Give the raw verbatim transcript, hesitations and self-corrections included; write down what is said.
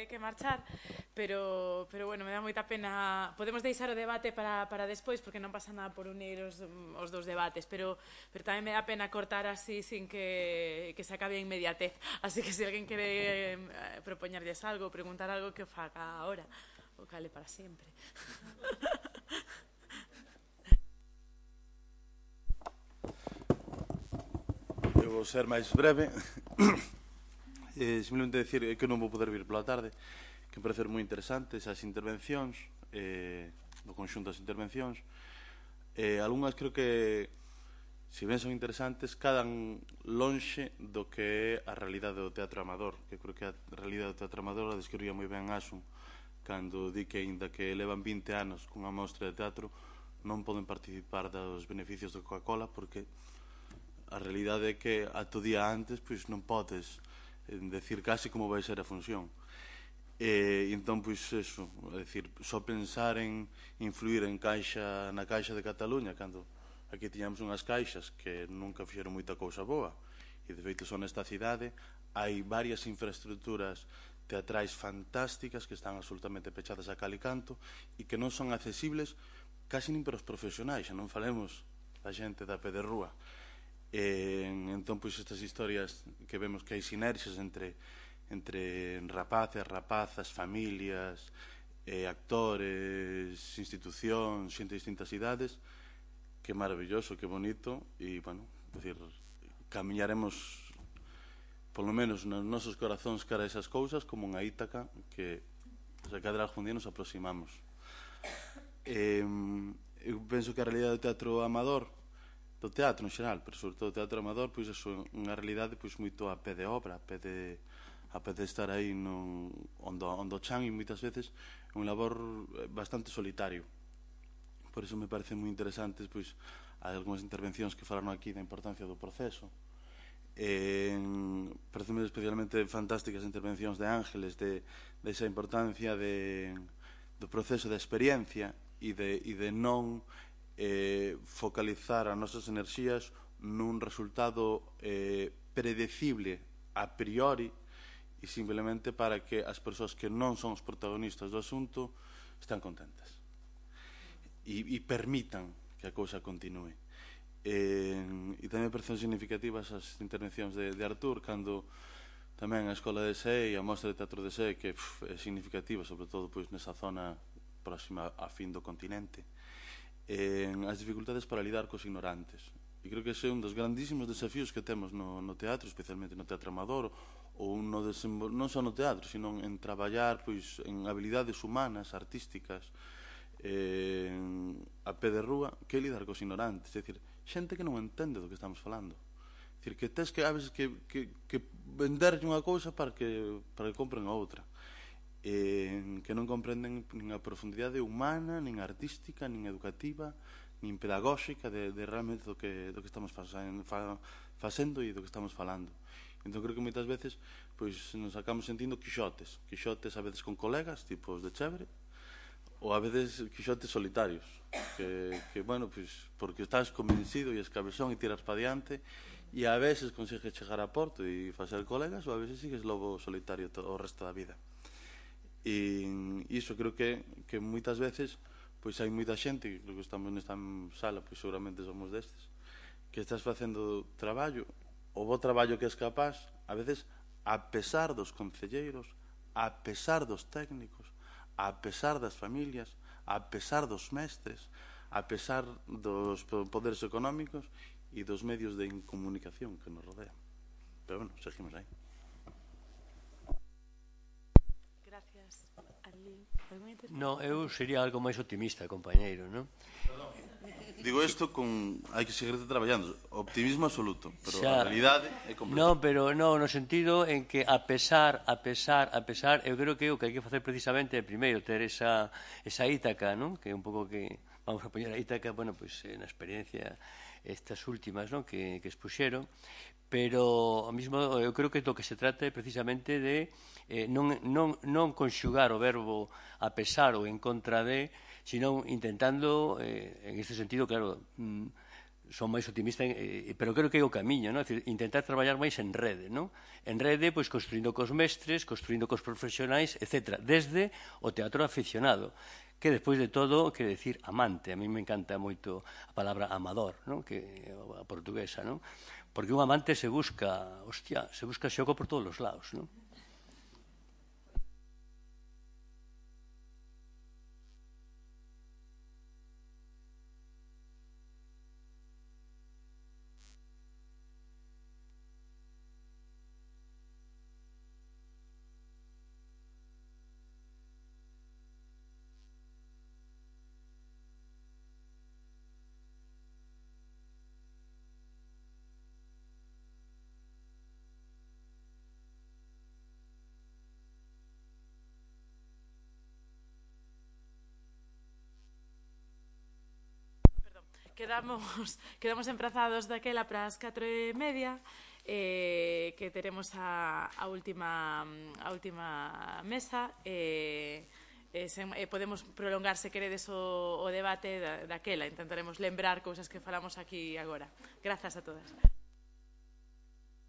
que, que marchar, pero, pero bueno, me dá moita pena. Podemos deixar o debate para, para despois, porque non pasa nada por unir os, os dos debates, pero, pero tamén me dá pena cortar así sin que, que se acabe a inmediatez. Así que se alguén quere eh, propoñerlles algo, preguntar algo, que o faga ahora, o cale para sempre. Eu vou ser máis breve. eh, simplemente decir que non vou poder vir pola tarde, que me pareceron moi interesantes as intervencións, eh, do conxunto das intervencións. Eh, algunhas creo que, se ben son interesantes, cadan lonxe do que é a realidade do teatro amador, que creo que a realidade do teatro amador a describía moi ben Asun, cando di que, ainda que levan vinte anos cunha mostra de teatro, non poden participar dos beneficios da Coca-Cola porque a realidade é que ato día antes pois non podes eh, decir case como vai ser a función. E entón, pois, eso, é dicir, só pensar en influir en caixa, na Caixa de Cataluña, cando aquí tiñamos unhas caixas que nunca fixeron moita cousa boa, e de feito son nesta cidade, hai varias infraestructuras teatrais fantásticas que están absolutamente pechadas a cal e canto e que non son accesibles casi nin para os profesionais, xa non falemos da xente da pé de rúa. E, entón, pois, estas historias que vemos que hai sinerxias entre entre rapaces, rapazas, familias, eh, actores, institucións, xente de distintas idades, que maravilloso, que bonito, e, bueno, decir, camiñaremos polo menos nos nosos corazóns cara a esas cousas como unha Ítaca que se cadra algún día nos aproximamos. Eh, eu penso que a realidade do teatro amador, do teatro en xeral, pero sobre todo o teatro amador, pois é unha realidade pois moito a pé de obra, a pé de, a pé de estar aí no, onde, onde o chan, e moitas veces é un labor bastante solitario. Por iso me parecen moi interesantes pois hai algunhas intervencións que falaron aquí da importancia do proceso. Eh, parecen especialmente fantásticas as intervencións de Ángeles de, de esa importancia de, do proceso de experiencia e de, e de non eh, focalizar as nosas enerxías nun resultado eh, predecible a priori e simplemente para que as persoas que non son os protagonistas do asunto están contentas e, e permitan que a cousa continue. E, e tamén parecen significativas as intervencións de, de Artur cando tamén a Escola de S E e a Mostra de Teatro de S E, que pf, é significativa sobre todo pois, nesa zona próxima a fin do continente, e, as dificultades para lidar cos ignorantes. E creo que ese é un dos grandísimos desafíos que temos no, no teatro, especialmente no teatro amador, ou no non só no teatro, sino en traballar pois, en habilidades humanas, artísticas, eh, a pé de rúa, que é lidar cos ignorantes, é dicir, xente que non entende do que estamos falando. É dicir, que tes que a veces que, que, que venderlle unha cousa para que, para que compren a outra, eh, que non comprenden nin a profundidade humana, nin artística, nin educativa, nin pedagóxica de, de realmente do que, do que estamos facendo, fa, facendo e do que estamos falando. Entón creo que moitas veces pois, nos acabamos sentindo quixotes, quixotes a veces con colegas, tipo os de Chévere, ou a veces quixotes solitarios, que, que bueno, pois, porque estás convencido e escabezón e tiras para diante, e a veces consigues chegar a porto e facer colegas, ou a veces sigues lobo solitario todo o resto da vida. E iso creo que, que moitas veces pois hai moita xente, creo que estamos nesta sala, pois seguramente somos destes, que estás facendo traballo, o bo traballo que és capaz, a veces, a pesar dos concelleiros, a pesar dos técnicos, a pesar das familias, a pesar dos mestres, a pesar dos poderes económicos e dos medios de comunicación que nos rodean. Pero, bueno, seguimos aí. Gracias. No, eu sería algo máis optimista, compañeiro, non? Digo isto con... hai que seguir traballando. Optimismo absoluto, pero xa, a realidade é completa. Non, pero non, no sentido en que a pesar, a pesar, a pesar, eu creo que o que hai que facer precisamente é primeiro ter esa, esa Ítaca, non? Que é un pouco que vamos a poñer a Ítaca, bueno, pois pues, na experiencia estas últimas, non? Que, que expuxeron, pero ao mismo eu creo que do que se trata é precisamente de eh, non, non, non conxugar o verbo a pesar ou en contra de, sino intentando, eh, en este sentido, claro, mm, son máis optimista, eh, pero creo que é o camiño, non? É dicir, intentar traballar máis en rede, non? En rede, pois, construindo cos mestres, construindo cos profesionais, etcétera, desde o teatro aficionado, que despois de todo, quere decir amante. A mí me encanta moito a palabra amador, non? Que a portuguesa, non? Porque un amante se busca, hostia, se busca xogo por todos os lados, non? Quedamos, quedamos emprazados daquela para as catro e media, eh, que teremos a, a, última, a última mesa, e eh, eh, podemos prolongar, se queredes, o, o debate da, daquela. Intentaremos lembrar cousas que falamos aquí agora. Grazas a todas.